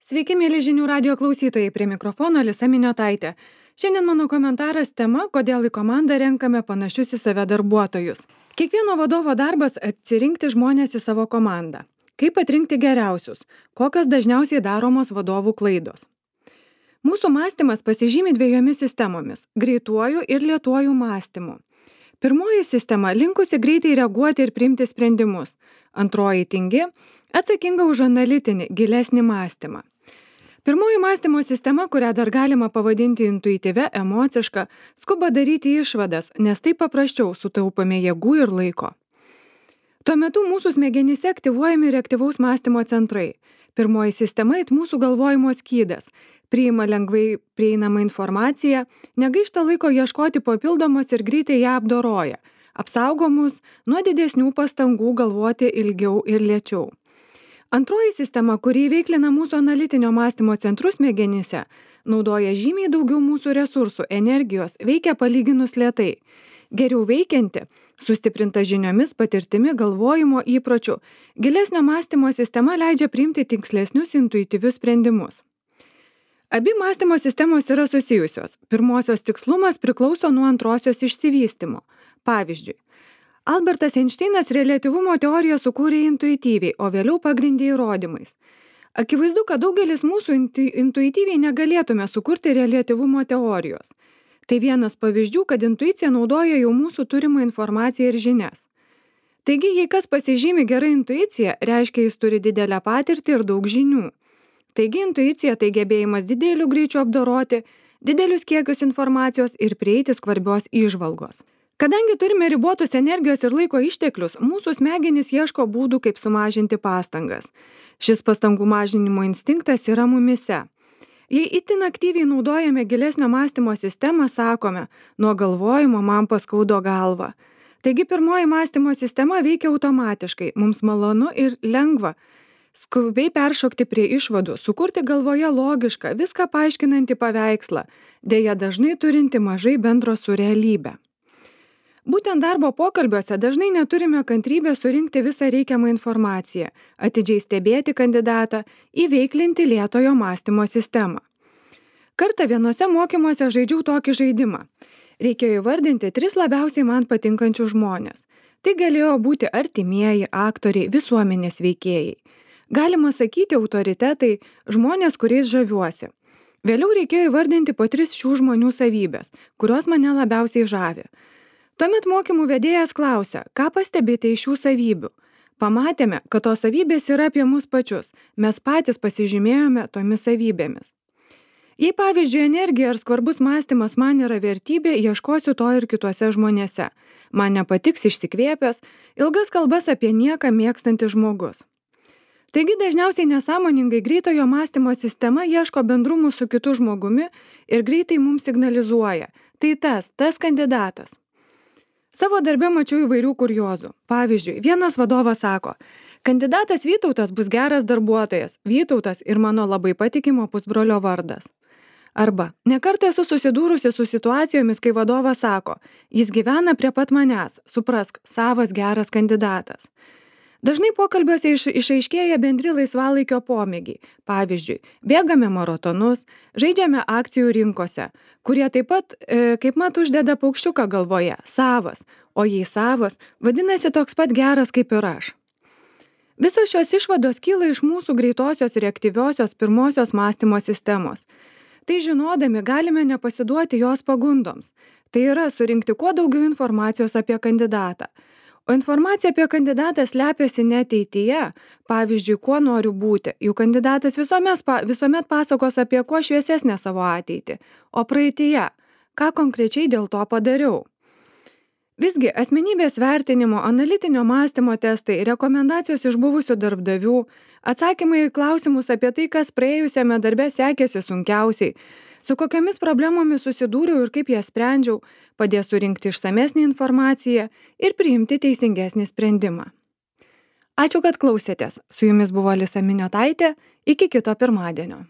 Sveiki, mėly žinių radio klausytojai, prie mikrofono Alisa Miniotaitė. Šiandien mano komentaras tema, kodėl į komandą renkame panašius į save darbuotojus. Kiekvieno vadovo darbas atsirinkti žmonės į savo komandą. Kaip atrinkti geriausius? Kokios dažniausiai daromos vadovų klaidos? Mūsų mąstymas pasižymi dviejomis sistemomis – greituoju ir lėtuoju mąstymu. Pirmoji sistema linkusi greitai reaguoti ir priimti sprendimus. Antroji tingi, atsakinga už analitinį, gilesnį mąstymą. Pirmoji mąstymo sistema, kurią dar galima pavadinti intuityvia, emociška, skuba daryti išvadas, nes taip paprasčiau sutaupame jėgų ir laiko. Tuo metu mūsų smegenyse aktyvuojami reaktyvaus mąstymo centrai. Pirmoji sistema it mūsų galvojimo skydas. Priima lengvai prieinamą informaciją, negaišta laiko ieškoti papildomos ir greitai ją apdoroja. Apsaugo mus nuo didesnių pastangų galvoti ilgiau ir lėčiau. Antroji sistema, kuri įveiklina mūsų analitinio mąstymo centrus smegenyse, naudoja žymiai daugiau mūsų resursų, energijos, veikia palyginus lėtai. Geriau veikianti, sustiprinta žiniomis, patirtimi, galvojimo įpročių, gilesnio mąstymo sistema leidžia priimti tikslesnius intuityvius sprendimus. Abi mąstymo sistemos yra susijusios. Pirmosios tikslumas priklauso nuo antrosios išsivystymo. Pavyzdžiui, Albertas Einšteinas reliatyvumo teoriją sukūrė intuityviai, o vėliau pagrindė įrodymais. Akivaizdu, kad daugelis mūsų intuityviai negalėtume sukurti reliatyvumo teorijos. Tai vienas pavyzdžių, kad intuicija naudoja jau mūsų turimą informaciją ir žinias. Taigi, jei kas pasižymi gerą intuiciją, reiškia jis turi didelę patirtį ir daug žinių. Taigi, intuicija tai gebėjimas dideliu greičiu apdoroti didelius kiekius informacijos ir prieiti skvarbios įžvalgos. Kadangi turime ribotus energijos ir laiko išteklius, mūsų smegenys ieško būdų, kaip sumažinti pastangas. Šis pastangų mažinimo instinktas yra mumise. Jei itin aktyviai naudojame gilesnio mąstymo sistemą, sakome, nuo galvojimo man paskaudo galvą. Taigi pirmoji mąstymo sistema veikia automatiškai, mums malonu ir lengva. Skubiai peršokti prie išvadų, sukurti galvoje logišką, viską paaiškinantį paveikslą, deja dažnai turinti mažai bendro su realybe. Būtent darbo pokalbiuose dažnai neturime kantrybės surinkti visą reikiamą informaciją, atidžiai stebėti kandidatą, įveiklinti lėtojo mąstymo sistemą. Kartą vienose mokymuose žaidžiau tokį žaidimą. Reikėjo įvardinti 3 labiausiai man patinkančius žmonės. Tai galėjo būti artimieji, aktoriai, visuomenės veikėjai. Galima sakyti autoritetai, žmonės, kuriais žaviuosi. Vėliau reikėjo įvardinti po 3 šių žmonių savybės, kurios mane labiausiai žavi. Tuomet mokymų vedėjas klausia, ką pastebite iš šių savybių. Pamatėme, kad tos savybės yra apie mus pačius, mes patys pasižymėjome tomis savybėmis. Jei pavyzdžiui energija ar skvarbus mąstymas man yra vertybė, ieškosiu to ir kituose žmonėse. Man nepatiks išsikvėpęs, ilgas kalbas apie nieką mėgstantis žmogus. Taigi dažniausiai nesąmoningai greitojo mąstymo sistema ieško bendrumų su kitu žmogumi ir greitai mums signalizuoja. Tai tas kandidatas. Savo darbe mačiau įvairių kuriozų. Pavyzdžiui, vienas vadovas sako, kandidatas Vytautas bus geras darbuotojas, Vytautas ir mano labai patikimo pusbrolio vardas. Arba, nekartą esu susidūrusi su situacijomis, kai vadovas sako, jis gyvena prie pat manęs, suprask, savas geras kandidatas. Dažnai pokalbiuose išaiškėja bendri laisvalaikio pomėgiai. Pavyzdžiui, bėgame maratonus, žaidžiame akcijų rinkose, kurie taip pat kaip mat uždeda paukščiuką galvoje, savas, o jei savas, vadinasi toks pat geras kaip ir aš. Visos šios išvados kyla iš mūsų greitosios reaktyviosios pirmosios mąstymo sistemos. Tai žinodami galime nepasiduoti jos pagundoms. Tai yra surinkti kuo daugiau informacijos apie kandidatą. O informacija apie kandidatą slepiasi ne ateityje, pavyzdžiui, kuo noriu būti. Jų kandidatas visuomet pasakos apie kuo šviesesnę savo ateitį, o praeityje, ką konkrečiai dėl to padariau. Visgi, asmenybės vertinimo, analitinio mąstymo testai, rekomendacijos iš buvusių darbdavių, atsakymai į klausimus apie tai, kas praėjusiame darbe sekėsi sunkiausiai, su kokiamis problemomis susidūriau ir kaip jas sprendžiau, padės surinkti išsamesnį informaciją ir priimti teisingesnį sprendimą. Ačiū, kad klausėtės. Su jumis buvo Alisa Miniotaitė. Iki kito pirmadienio.